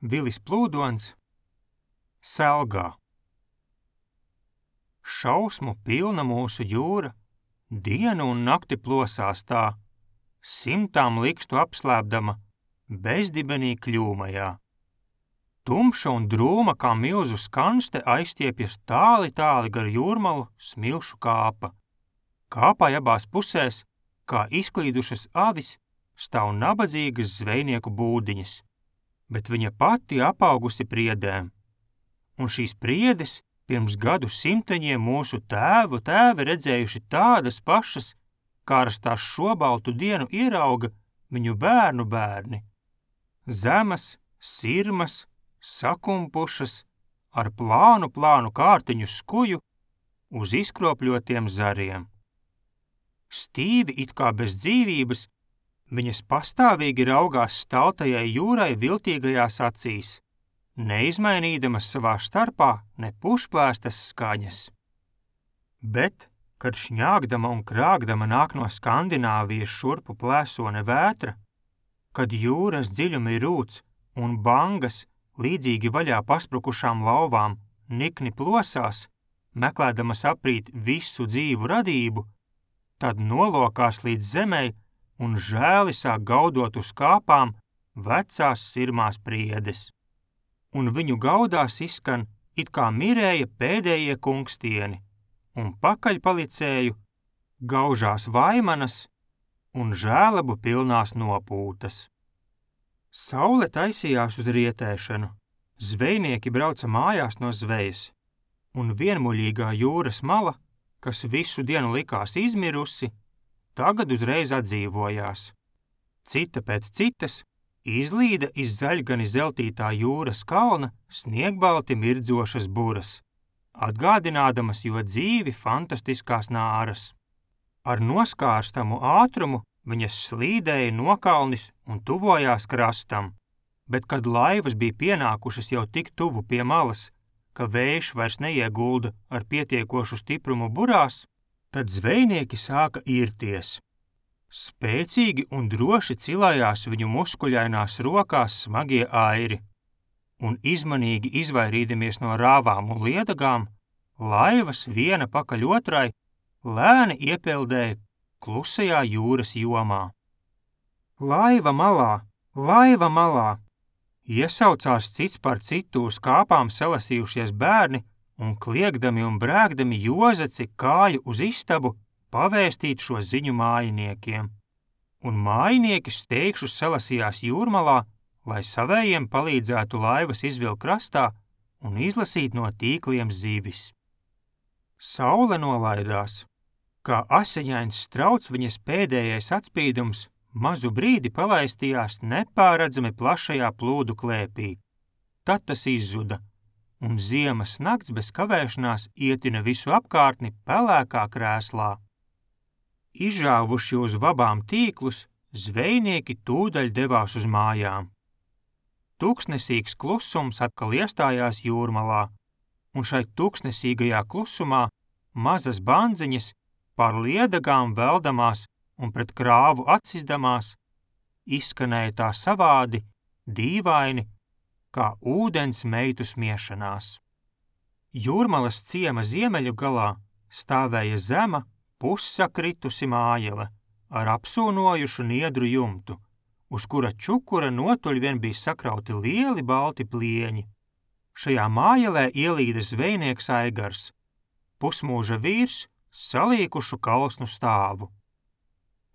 Vilis Plūdons, Selgā. Šausmu pilna mūsu jūra, dienu un nakti plosās tā, simtām likstu apslēpdama, bezdibenī kļūmajā. Tumša un drūma kā milzu skanste aizstiepjas tāli gar jūrmalu smilšu kāpa. Kāpai abās pusēs, kā izklīdušas avis, stāv nabadzīgas zvejnieku būdiņas, bet viņa pati apaugusi priedēm. Un šīs priedes pirms gadu simteņiem mūsu tēvi redzējuši tādas pašas, kāras tās šobaltu dienu ierauga viņu bērnu bērni. Zemas, sirmas, sakumpušas, ar plānu kārtiņu skuju uz izkropļotiem zariem. Stīvi it kā bez dzīvības, viņas pastāvīgi raugās staltajai jūrai viltīgajās acīs, neizmainīdamas savā starpā ne pušplēstas skaņas. Bet, kad šņāgdama un krāgdama nāk no Skandināvijas šurpu plēsone vētra, kad jūras dziļumi rūc un bangas, līdzīgi vaļā pasprukušām lauvām, nikni plosās, meklēdamas aprīt visu dzīvu radību, tad nolokās līdz zemei un žēli sāk gaudot uz kāpām vecās sirmās priedes. Un viņu gaudās izskan it kā mirēja pēdējie kungstieni, un pakaļpalicēju gaužās vaimanas un žēlabu pilnās nopūtas. Saule taisījās uz rietēšanu, zvejnieki brauca mājās no zvejas, un vienmuļīgā jūras mala, kas visu dienu likās izmirusi, tagad uzreiz atdzīvojās. Cita pēc citas izlīda iz zaļgani zeltītā jūras kalna sniegbalti mirdzošas buras, atgādinādamas jo dzīvi fantastiskās nāras. Ar noskārstamu ātrumu viņas slīdēja nokalnis un tuvojās krastam, bet kad laivas bija pienākušas jau tik tuvu pie malas, ka vējš vairs neiegulda ar pietiekošu stiprumu burās, tad zvejnieki sāka irties. Spēcīgi un droši cilājās viņu muskuļainās rokās smagie airi, un izmanīgi izvairīdamies no rāvām un liedagām, laivas viena pakaļ otrai lēni iepeldēja klusajā jūras jomā. Laiva malā! Laiva malā! Iesaucās cits par citu uz kāpām salasījušies bērni un kliegdami un brēgdami jozaci kāju uz istabu pavēstīt šo ziņu mājiniekiem. Un mājinieki steigšus salasījās jūrmalā, lai savējiem palīdzētu laivas izvilkt krastā un izlasīt no tīkliem zivis. Saule nolaidās. Kā asiņains strauts viņas pēdējais atspīdums mazu brīdi palaistījās nepārredzami plašajā plūdu klēpī. Tad tas izzuda, un ziemas nakts bez kavēšanās ietina visu apkārtni pelēkā krēslā. Izžāvuši uz vabām tīklus, zvejnieki tūdaļ devās uz mājām. Tūkstnesīgs klusums atkal iestājās jūrmalā, un šai tūkstnesīgajā klusumā mazas bandziņas pār liedagām veldamās un pret krāvu atsizdamās, izskanēja tā savādi, dīvaini, kā ūdens meitu smiešanās. Jūrmalas ciema ziemeļu galā stāvēja zema, pussakritusi mājele ar apsūnojušu niedru jumtu, uz kura čukura notuļ vien bija sakrauti lieli balti plieņi. Šajā mājelē ielīda zvejnieks Aigars, pusmūža vīrs, salīkušu kalsnu stāvu.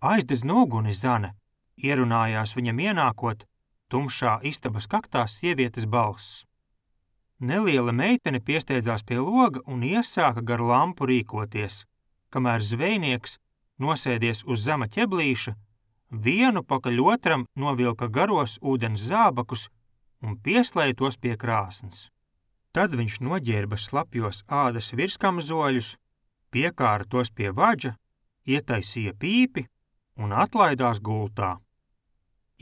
Aizdedz noguni, Zane, ierunājās viņam ienākot, tumšā istabas kaktā sievietes balss. Neliela meitene piesteidzās pie loga un iesāka gar lampu rīkoties, kamēr zvejnieks, nosēdies uz zema ķeblīša, vienu pakaļ otram novilka garos ūdens zābakus un pieslēja tos pie krāsns. Tad viņš noģērba slapjos ādas virskamzoļus, piekāra tos pie vaģa, ietaisīja pīpi un atlaidās gultā.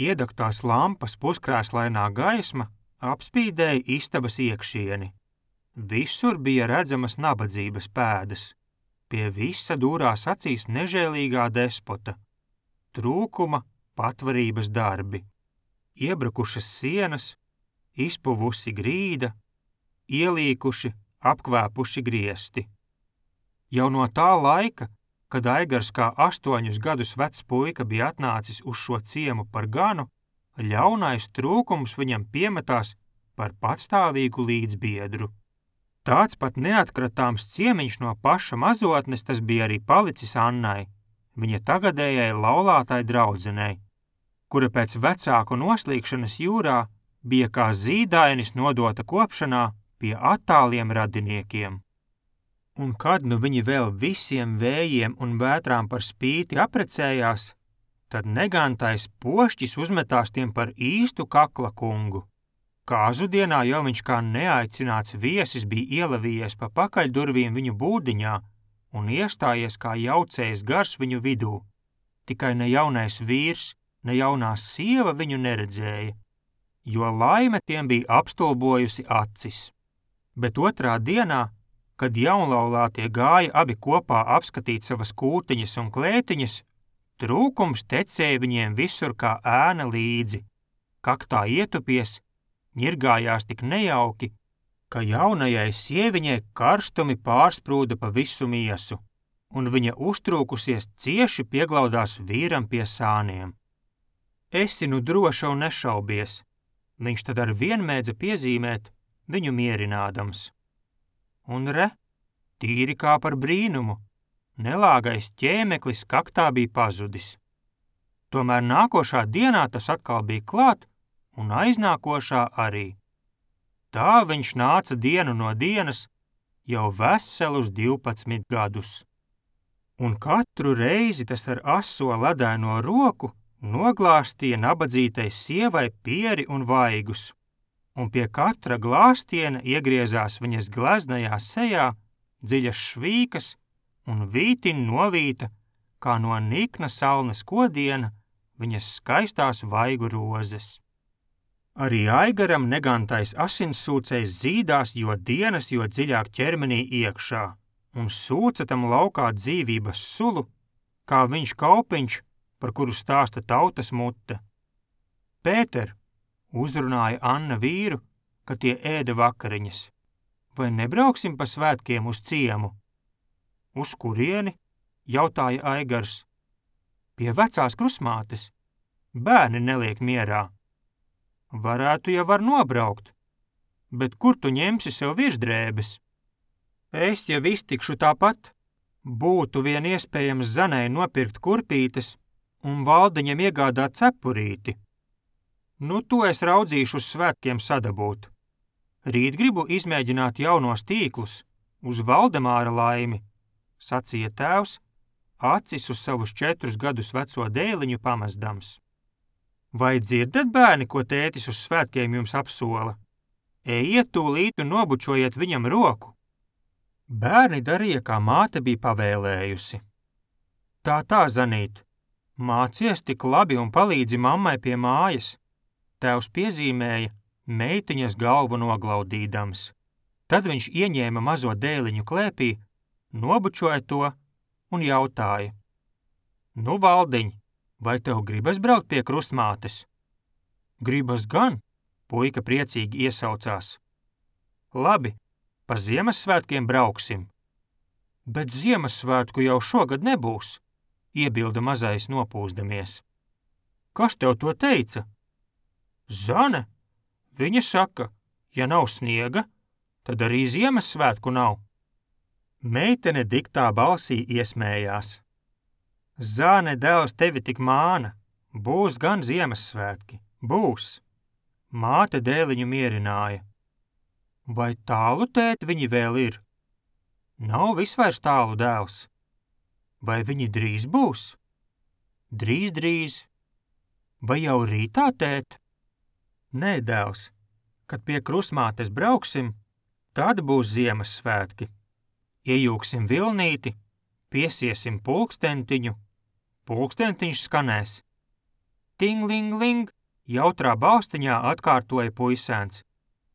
Iedegtās lampas puskrēslainā gaisma apspīdēja istabas iekšieni. Visur bija redzamas nabadzības pēdas, pie visa dūrās acīs nežēlīgā despota, trūkuma, patvarības darbi, iebrukušas sienas, izpuvusi grīda, ielīkuši, apkvēpuši griesti. Jau no tā laika, kad Aigars kā 8 gadus vecs puika bija atnācis uz šo ciemu par ganu, ļaunais trūkums viņam piemetās par patstāvīgu līdzbiedru. Tāds pat neatkratāms ciemiņš no paša mazotnes tas bija arī palicis Annai, viņa tagadējai laulātai draudzenei, kura pēc vecāku noslīkšanas jūrā bija kā zīdainis nodota kopšanā pie attāliem radiniekiem. Un kad nu viņi vēl visiem vējiem un vētrām par spīti aprecējās, tad negantais pošķis uzmetās tiem par īstu kakla kungu. Kāzudienā jau viņš kā neaicināts viesis bija ielavījies pa pakaļdurvīm viņu būdiņā un iestājies kā jaucējs gars viņu vidū. Tikai ne jaunais vīrs, ne jaunā sieva viņu neredzēja, jo laime tiem bija apstulbojusi acis. Bet otrā dienā, kad jaunlaulātie gāja abi kopā apskatīt savas kūtiņas un klētiņas, trūkums tecēja viņiem visur kā ēna līdzi. Kaktā ietupies, ņirgājās tik nejauki, ka jaunajai sieviņai karstumi pārsprūda pa visu miesu, un viņa uztrūkusies cieši pieglaudās vīram pie sāniem. Esi nu droša un nešaubies, viņš tad ar vien mēdza piezīmēt, viņu mierinādams. Un re, tīri kā par brīnumu, nelāgais ķēmeklis kaktā bija pazudis. Tomēr nākošā dienā tas atkal bija klāt, un aiznākošā arī. Tā viņš nāca dienu no dienas, jau veselus 12 gadus. Un katru reizi tas ar aso ledaino roku noglāstīja nabadzītai sievai pieri un vaigus, un pie katra glāstiena iegriezās viņas gleznajā sejā dziļas švīkas un vītiņ novīta, kā no nikna salnes kodiena, viņas skaistās vaigu rozes. Arī Aigaram negantais asinssūcējs zīdās jo dienas, jo dziļāk ķermenī iekšā, un sūca tam laukā dzīvības sulu, kā viņš kaupiņš, par kuru stāsta tautas mute. Pēter, uzrunāja Anna vīru, kad tie ēda vakariņas. Vai nebrauksim pa svētkiem uz ciemu? Uz kurieni? Jautāja Aigars. Pie vecās krustmātes. Bērni neliek mierā. Varētu jau var nobraukt, bet kur tu ņemsi sev virsdrēbes? Es jau iztikšu tāpat. Būtu vien iespējams Zanai nopirkt kurpītes un Valdiņam iegādāt cepurīti. Nu, to es raudzīšu uz svētkiem sadabūt. Rīt gribu izmēģināt jaunos tīklus, uz Valdemāra laimi, sacīja tēvs, acis uz savus 4 gadus veco dēliņu pamezdams. Vai dzirdat, bērni, ko tētis uz svētkiem jums apsola? Ejiet tūlīt un nobučojiet viņam roku. Bērni darīja, kā māte bija pavēlējusi. Tā, Zanīt, mācies tik labi un palīdzi mammai pie mājas. Tēvs piezīmēja, meitiņas galvu noglaudīdams. Tad viņš ieņēma mazo dēliņu klēpī, nobučoja to un jautāja. Nu, Valdiņ, vai tev gribas braukt pie krustmātes? Gribas gan, puika priecīgi iesaucās. Labi, pa Ziemassvētkiem brauksim. Bet Ziemassvētku jau šogad nebūs, iebilda mazais nopūsdamies. Kas tev to teica? Zane, viņa saka, ja nav sniega, tad arī Ziemassvētku nav. Meitene diktā balsī iesmējās. Zane, dēls tevi tik māna, būs gan Ziemassvētki, būs. Māte dēliņu mierināja. Vai tālu, tēt, viņi vēl ir? Nav visvairs tālu, dēls. Vai viņi drīz būs? Drīz. Vai jau rītā, tēt? Nē, dēls, kad pie krustmātes brauksim, tad būs Ziemassvētki. Iejūksim vilnīti, piesiesim pulkstentiņu, pulkstentiņš skanēs. Ting-ling-ling, jautrā balstiņā atkārtoja puisēns,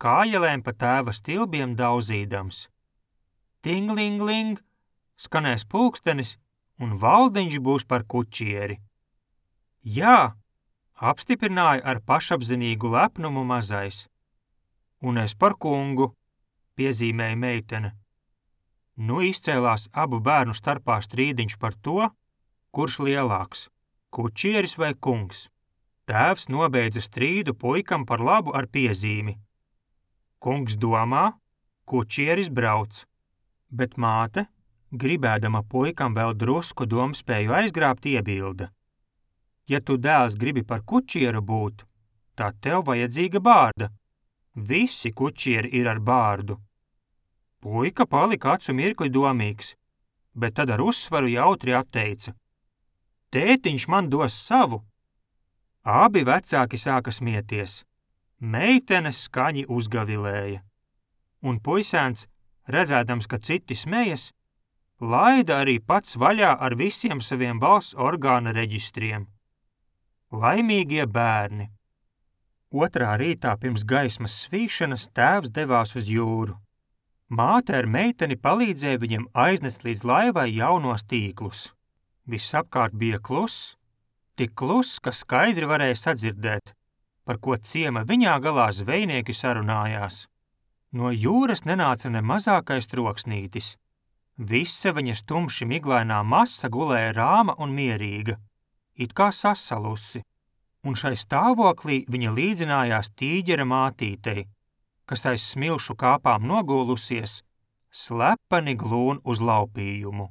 kājelēm pa tēva stilbiem daudzīdams. Ting-ling-ling, skanēs pulkstenis, un Valdiņš būs par kučieri. Jā, apstiprināja ar pašapzinīgu lepnumu mazais. Un es par kungu, piezīmēja meitene. Nu izcēlās abu bērnu starpā strīdiņš par to, kurš lielāks, kučieris vai kungs. Tēvs nobeidza strīdu puikam par labu ar piezīmi. Kungs domā, kučieris brauc, bet māte, gribēdama puikam vēl drusku domspēju aizgrābt, iebilda. Ja tu dēls gribi par kučieru būt, tad tev vajadzīga bārda. Visi kučieri ir ar bārdu. Puika palika acu mirkli domīgs, bet tad ar uzsvaru jautri atteica. Tētiņš man dos savu. Abi vecāki sāka smieties. Meitene skaņi uzgavilēja. Un puisēns, redzēdams, ka citi smejas, laida arī pats vaļā ar visiem saviem balss orgāna reģistriem. Laimīgie bērni. Otrā rītā pirms gaismas svīšanas tēvs devās uz jūru. Māte ar meiteni palīdzēja viņam aiznest līdz laivai jaunos tīklus. Visapkārt bija kluss, tik kluss, ka skaidri varēja sadzirdēt, par ko ciema viņā galā zvejnieki sarunājās. No jūras nenāca ne mazākais troksnītis. Visa viņas tumši miglainā masa gulēja rāma un mierīga, it kā sasalusi, un šai stāvoklī viņa līdzinājās tīģera mātītei, kas aiz smilšu kāpām nogulusies, slepeni glūn uz laupījumu.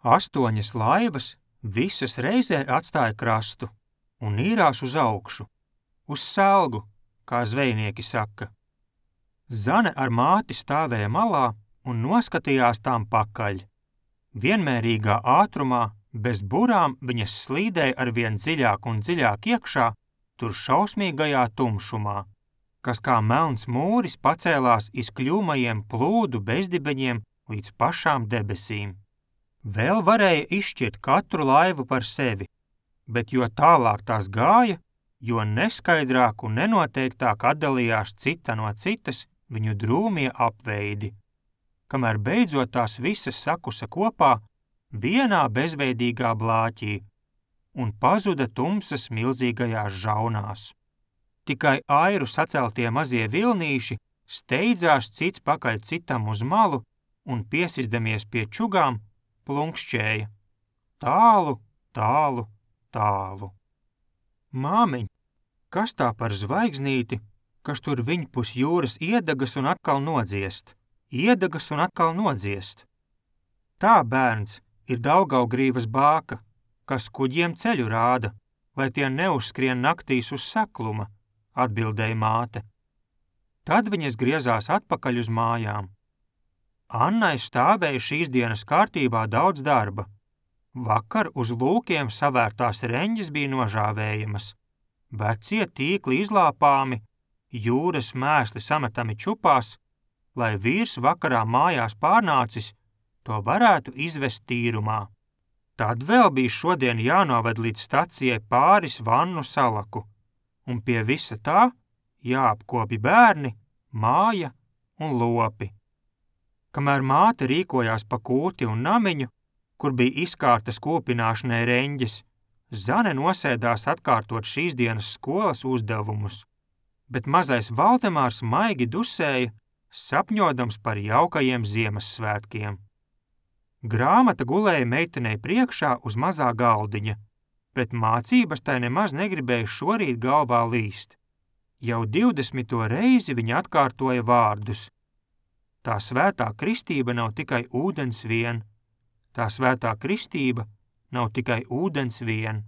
8 laivas visas reizē atstāja krastu un nīrās uz augšu, uz selgu, kā zvejnieki saka. Zane ar māti stāvēja malā un noskatījās tām pakaļ. Vienmērīgā ātrumā, bez burām viņas slīdēja arvien dziļāk un dziļāk iekšā, tur šausmīgajā tumšumā, kas kā melns mūris pacēlās iz kļūmajiem plūdu bezdibeņiem līdz pašām debesīm. Vēl varēja izšķirt katru laivu par sevi, bet jo tālāk tās gāja, jo neskaidrāk un nenoteiktāk atdalījās cita no citas viņu drūmie apveidi, kamēr beidzot tās visas sakusa kopā vienā bezveidīgā blāķī un pazuda tumsas milzīgajās žaunās. Tikai airu saceltie mazie vilnīši steidzās cits pakaļ citam uz malu un piesizdamies pie čugām plunkšķēja. Tālu, tālu, tālu. Māmiņ, kas tā par zvaigznīti, kas tur viņpus jūras iedegas un atkal nodziest? Iedegas un atkal nodziest. Tā, bērns, ir Daugavgrīvas bāka, kas kuģiem ceļu rāda, lai tie neuzskrien naktīs uz sekluma, atbildēja māte. Tad viņas griezās atpakaļ uz mājām. Annai stāvēja šīs dienas kārtībā daudz darba. Vakar uz lūkiem savērtās reņģes bija nožāvējamas, vecie tīkli izlāpāmi, jūras mēsli sametami čupās, lai vīrs vakarā mājās pārnācis, to varētu izvest tīrumā. Tad vēl bija šodien jānoved līdz stacijai pāris vannu salaku, un pie visa tā jāapkopi bērni, māja un lopi. Kamēr māte rīkojās pa kūti un namiņu, kur bija izkārtas kūpināšanai reņģes, Zane nosēdās atkārtot šīs dienas skolas uzdevumus, bet mazais Valdemārs maigi dusēja, sapņodams par jaukajiem Ziemassvētkiem. Grāmata gulēja meitenei priekšā uz mazā galdiņa, bet mācības tai nemaz negribēja šorīt galvā līst. Jau 20. reizi viņa atkārtoja vārdus. Tā svētā kristība nav tikai ūdens vien. Tā svētā kristība nav tikai ūdens vien.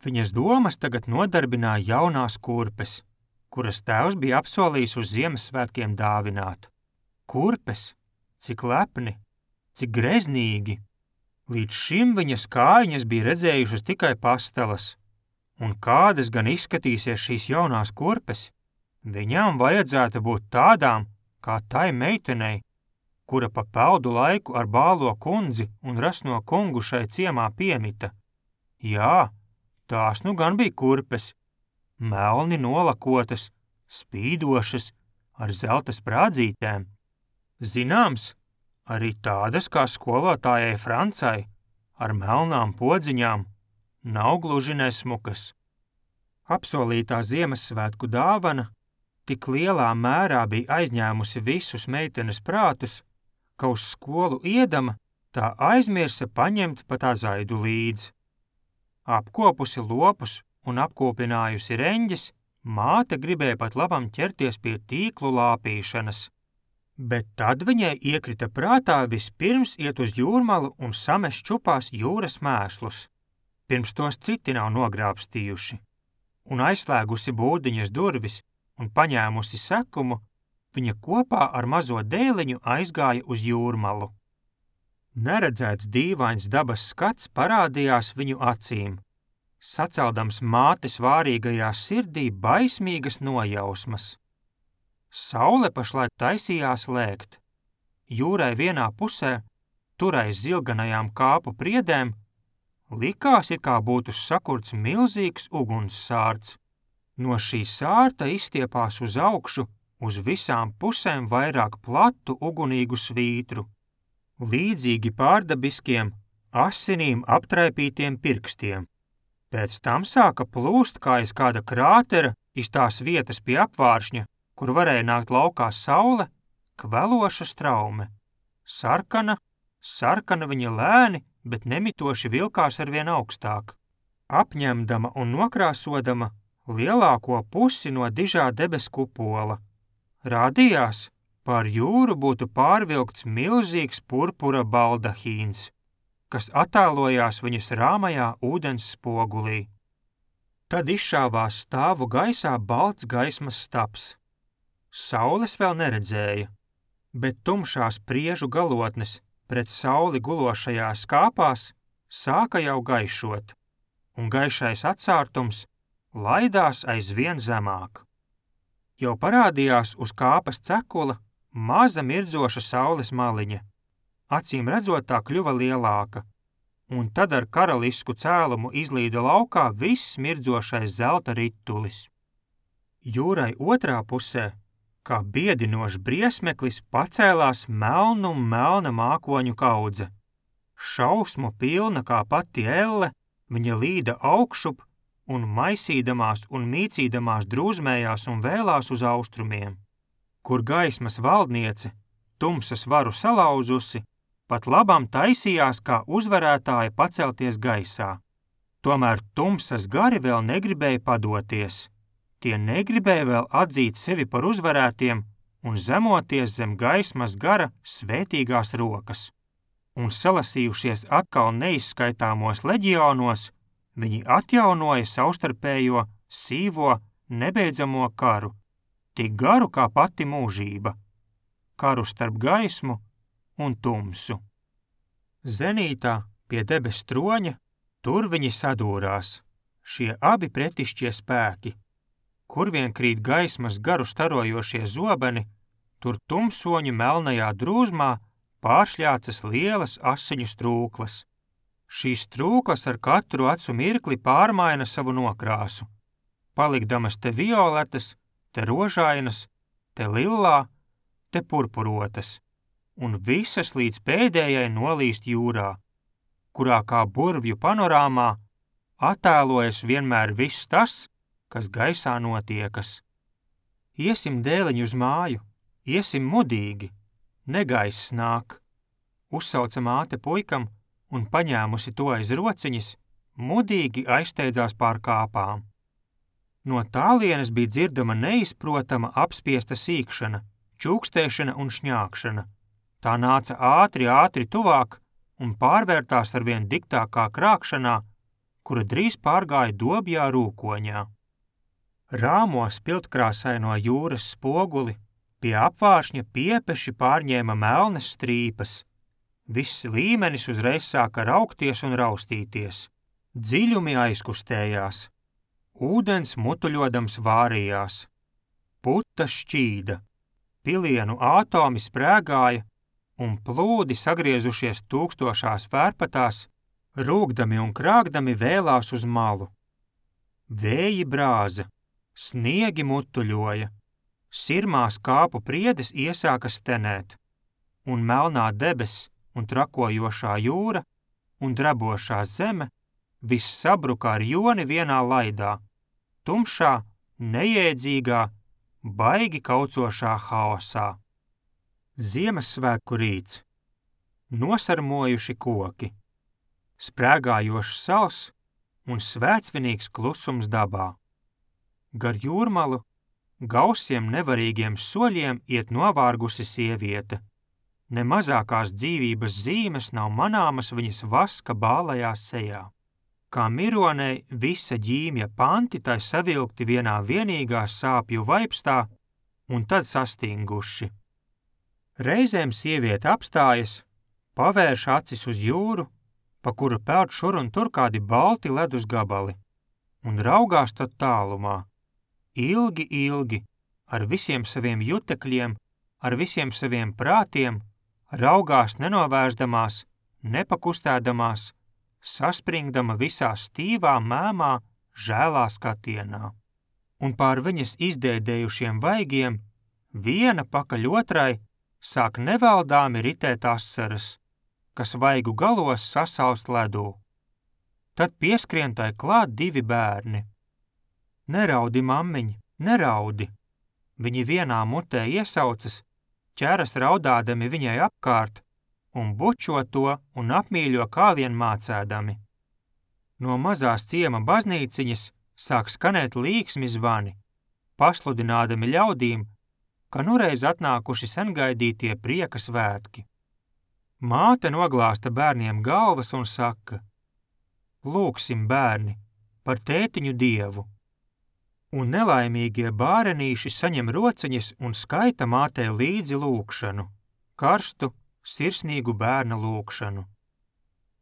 Viņas domas tagad nodarbināja jaunās kurpes, kuras tēvs bija apsolījis uz Ziemassvētkiem dāvināt. Kurpes, cik lepni, cik greznīgi. Līdz šim viņas kājiņas bija redzējušas tikai pastelas. Un kādas gan izskatīsies šīs jaunās kurpes? Viņām vajadzētu būt tādām, kā tai meitenei, kura pa peldu laiku ar bālo kundzi un rasno kungu šai ciemā piemita. Jā, tās nu gan bija kurpes, melni nolakotas, spīdošas, ar zelta sprādzītēm. Zināms, arī tādas kā skolotājai Francai, ar melnām podziņām, nav gluži nesmukas. Apsolītā Ziemassvētku dāvana Tik lielā mērā bija aizņēmusi visus meitenes prātus, ka uz skolu iedama tā aizmirsa paņemt pat azaidu līdzi. Apkopusi lopus un apkopinājusi reņģes, māte gribēja pat labam ķerties pie tīklu lāpīšanas. Bet tad viņai iekrita prātā vispirms iet uz jūrmalu un samest čupās jūras mēslus, pirms tos citi nav nogrābstījuši. Un aizslēgusi būdiņas durvis un paņēmusi sekumu, viņa kopā ar mazo dēliņu aizgāja uz jūrmalu. Neredzēts dīvains dabas skats parādījās viņu acīm, saceldams mātes vārīgajā sirdī baismīgas nojausmas. Saule pašlaik taisījās lēgt. Jūrai vienā pusē, turais zilganajām kāpu priedēm, likās, it kā būtu sakurts milzīgs ugunssārts. No šī sārta izstiepās uz augšu, uz visām pusēm vairāk platu ugunīgu svītru, līdzīgi pārdabiskiem, asinīm aptraipītiem pirkstiem. Pēc tam sāka plūst kā iz kāda krātera iz tās vietas pie apvāršņa, kur varēja nākt laukā saule, kveloša straume. Sarkana viņa lēni, bet nemitoši vilkās arvien augstāk, apņemdama un nokrāsodama lielāko pusi no dižā debes kupola. Rādījās, pār jūru būtu pārvilkts milzīgs purpura baldahīns, kas attēlojās viņas rāmajā ūdens spogulī. Tad izšāvās stāvu gaisā balts gaismas stabs. Saules vēl neredzēja, bet tumšās priežu galotnes pret sauli gulošajās kāpās sāka jau gaišot, un gaišais atsārtums laidās aizvien zemāk. Jau parādījās uz kāpas cekula maza mirdzoša saules maliņa, acīm redzot tā kļuva lielāka, un tad ar karalisku cēlumu izlīda laukā viss mirdzošais zelta ritulis. Jūrai otrā pusē, kā biedinošs briesmeklis, pacēlās melna mākoņu kaudze. Šausmu pilna kā pati elle, viņa līda augšup un maisīdamās un mīcīdamās drūzmējās un vēlās uz austrumiem, kur gaismas valdniece, tumsas varu salauzusi, pat labam taisījās kā uzvarētāja pacelties gaisā. Tomēr tumsas gari vēl negribēja padoties. Tie negribēja vēl atzīt sevi par uzvarētiem un zemoties zem gaismas gara svētīgās rokas. Un salasījušies atkal neizskaitāmos leģionos, viņi atjaunoja savstarpējo, sīvo, nebeidzamo karu, tik garu kā pati mūžība, karu starp gaismu un tumsu. Zenītā pie debes troņa tur viņi sadūrās, šie abi pretišķie spēki. Kur vien krīt gaismas garu starojošie zobeni, tur tumsoņu melnajā drūzmā pāršļācas lielas asiņu strūklas. Šīs strūklas ar katru acu mirkli pārmaina savu nokrāsu, palikdamas te violetas, te rožainas, te lillā, te purpurotas, un visas līdz pēdējai nolīst jūrā, kurā kā burvju panorāmā attēlojas vienmēr viss tas, kas gaisā notiekas. Iesim dēliņu uz māju, iesim mudīgi, negaiss nāk, uzsauca māte puikam un paņēmusi to aiz rociņas, mudīgi aizsteidzās pār kāpām. No tālienes bija dzirdama neizprotama apspiesta sīkšana, čūkstēšana un šņākšana. Tā nāca ātri tuvāk un pārvērtās arvien diktākā krākšanā, kura drīz pārgāja dobjā rūkoņā. Rāmo spiltkrāsaino jūras spoguli pie apvāršņa piepeši pārņēma melnas strīpas. Viss līmenis uzreiz sāka raukties un raustīties. Dziļumi aizkustējās. Ūdens mutuļodams vārījās. Puta šķīda. Pilienu ātomi sprēgāja un plūdi sagriezušies tūkstošās vērpatās, rūgdami un krāgdami vēlās uz malu. Vēji brāza. Sniegi mutuļoja, sirmās kāpu priedes iesāka stenēt, un melnā debess un trakojošā jūra un drebošā zeme viss sabruka ar joni vienā laidā, tumšā, nejēdzīgā, baigi kaucošā haosā. Ziemassvētku rīts. Nosarmojuši koki. Sprēgājošs sals un svētsvinīgs klusums dabā. Gar jūrmalu gausiem nevarīgiem soļiem iet novārgusi sieviete. Ne mazākās dzīvības zīmes nav manāmas viņas vaska bālajā sejā. Kā mironei visa ģīmja panti tai savilkti vienā vienīgā sāpju vaipstā un tad sastinguši. Reizēm sieviete apstājas, pavērš acis uz jūru, pa kuru peld šur un tur kādi balti ledus gabali, un raugās tad tālumā. Ilgi, ilgi, ar visiem saviem jutekļiem, ar visiem saviem prātiem, raugās nenovērsdamās, nepakustēdamās, saspringdama visā stīvā mēmā, žēlā skatienā. Un pār viņas izdēdējušiem vaigiem, viena pakaļ otrai, sāk nevaldāmi ritēt asaras, kas vaigu galos sasalst ledū. Tad pieskrien tai klāt divi bērni. Neraudi, mammiņ, neraudi! Viņi vienā mutē iesaucas, ķeras raudādami viņai apkārt un bučo to un apmīļo kā vien mācēdami. No mazās ciema baznīciņas sāk skanēt līksmi zvani, pasludinādami ļaudīm, ka nureiz atnākuši sengaidītie prieka svētki. Māte noglāsta bērniem galvas un saka: Lūgsim, bērni, par tētiņu Dievu. Un nelaimīgie bārenīši saņem rociņas un skaita mātei līdzi lūgšanu, karstu, sirsnīgu bērna lūgšanu.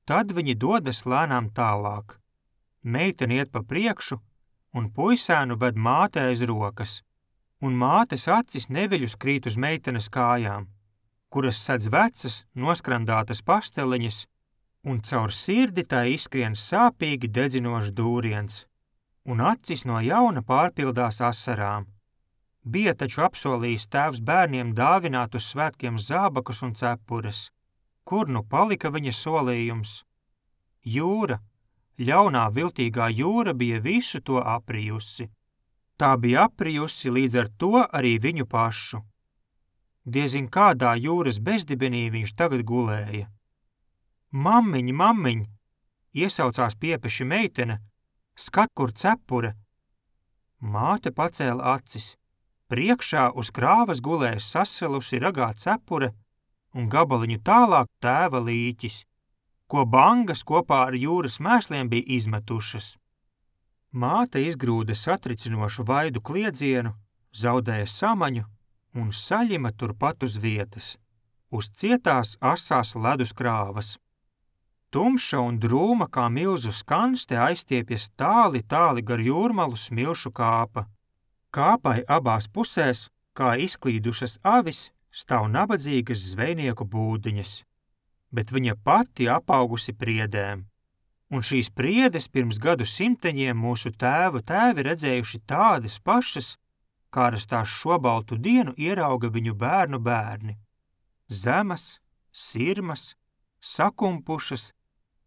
Tad viņi dodas lēnām tālāk. Meitene iet pa priekšu, un puisēnu ved māte aiz rokas, un mātes acis neviļus krīt uz meitenes kājām, kuras sedz vecas, noskrandātas pasteliņas, un caur sirdi tai izskrien sāpīgi dedzinošs dūriens, un acis no jauna pārpildās asarām. Bija taču apsolījis tēvs bērniem dāvināt uz svētkiem zābakus un cepures. Kur nu palika viņa solījums? Jūra, ļaunā viltīgā jūra bija visu to aprijusi. Tā bija aprijusi līdz ar to arī viņu pašu. Diezin kādā jūras bezdibenī viņš tagad gulēja. Mammiņ, mammiņ, iesaucās piepeši meitene, skat, kur cepure. Māte pacēla acis. Priekšā uz krāvas gulēja sasalusi ragā cepure un gabaliņu tālāk tēva līķis, ko bangas kopā ar jūras mēsliem bija izmetušas. Māte izgrūda satricinošu vaidu kliedzienu, zaudēja samaņu un saļima turpat uz vietas, uz cietās asās ledus krāvas. Tumša un drūma kā milzu skanste aizstiepjas tāli, tāli gar jūrmalu smilšu kāpa. Kāpai abās pusēs, kā izklīdušas avis, stāv nabadzīgas zvejnieku būdiņas, bet viņa pati apaugusi priedēm. Un šīs priedes pirms gadu simteņiem mūsu tēvi redzējuši tādas pašas, kādas tās šobaltu dienu ierauga viņu bērnu bērni. Zemas, sirmas, sakumpušas,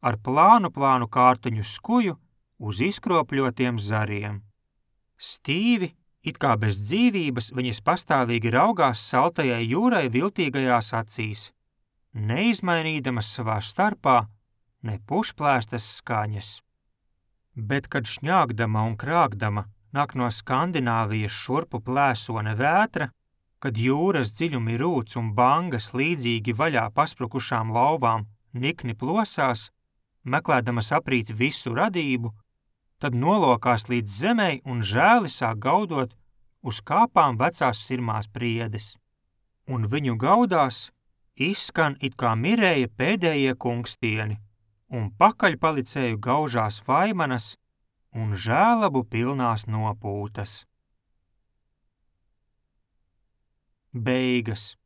ar plānu kārtuņu skuju uz izkropļotiem zariem. Stīvi, it kā bez dzīvības, viņas pastāvīgi raugās saltajai jūrai viltīgajās acīs, neizmainīdamas savā starpā ne pušplēstas skaņas. Bet, kad šņāgdama un krāgdama nāk no Skandināvijas šurpu plēsone vētra, kad jūras dziļumi rūc un bangas līdzīgi vaļā pasprukušām lauvām nikni plosās, meklēdamas aprīt visu radību, tad nolokās līdz zemei un žēli sāk gaudot uz kāpām vecās sirmās priedes. Un viņu gaudās izskan it kā mirēja pēdējie kungstieni, un pakaļpalicēju gaužās vaimanas un žēlabu pilnās nopūtas. Beigas.